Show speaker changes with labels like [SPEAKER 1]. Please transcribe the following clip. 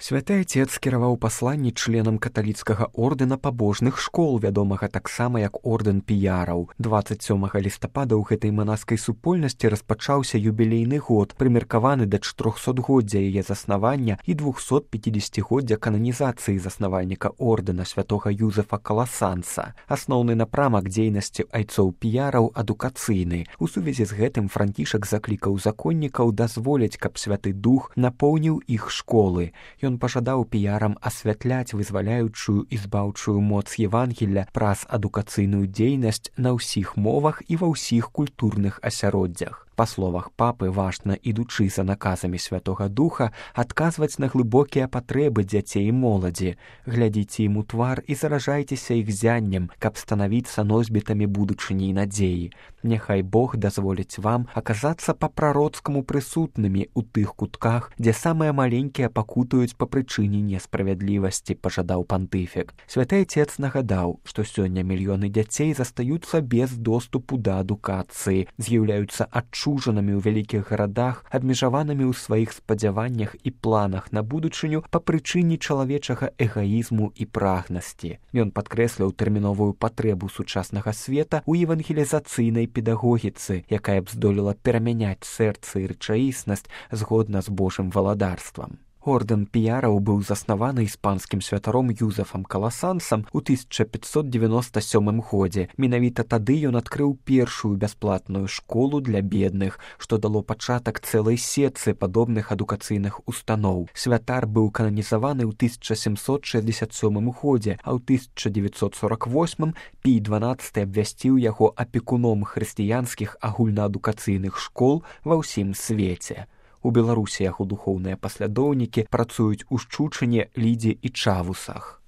[SPEAKER 1] Святы Отец скіраваў пасланні членам каталіцкага ордэна пабожных школ, вядомага таксама як ордэн піяраў. 27 лістапада ў гэтай манаскай супольнасці распачаўся юбілейны год, прымеркаваны да 400годдзя яе заснавання і 250годдзя кананізацыі заснавальніка ордэна святога Юзефа Каласанса. Асноўны напрамак дзейнасці айцоў піяраў адукацыйны. У сувязі з гэтым Францішак заклікаў законнікаў дазволіць, каб Святы Дух напоўніў іх школы. Ён пажадаў піярам асвятляць вызваляючую і збаўчую моц Евангелля праз адукацыйную дзейнасць на ўсіх мовах і ва ўсіх культурных асяроддзях. Па словах папы, важна, ідучы за наказамі Святога Духа, адказваць на глыбокія патрэбы дзяцей і моладзі. Глядзіце ім у твар і заражайцеся іх зяннем, каб станавіцца носьбітамі будучыні і надзеі. Няхай Бог дазволіць вам аказацца па-прароцкаму прысутнымі ў тых кутках, дзе самыя маленькія пакутаюць па прычыне несправядлівасці, пажадаў пантыфік. Святы Отец нагадаў, што сёння мільёны дзяцей застаюцца без доступу да адукацыі, з'яўляюцца адчужанымі ў вялікіх гарадах, абмежаванымі ў сваіх спадзяваннях і планах на будучыню па прычыне чалавечага эгаізму і прагнасці. Ён падкрэсліў тэрміновую патрэбу сучаснага света ў евангелізацыйнай педагогіцы, якая б здолела перамяняць сэрца і рэчаіснасць згодна з Божым валадарствам. Ордэн піяраў быў заснаваны іспанскім святаром Юзефам Каласансам у 1597 годзе. Менавіта тады ён адкрыў першую бясплатную школу для бедных, што дало пачатак цэлай сетцы падобных адукацыйных устаноў. Святар быў кананізаваны ў 1767 годзе, а ў 1948 Пій XII абвясціў яго апекуном хрысціянскіх агульнаадукацыйных школ ва ўсім свеце. У Беларусі яго духоўныя паслядоўнікі працуюць у Шчучыне, Лідзе і Чавусах.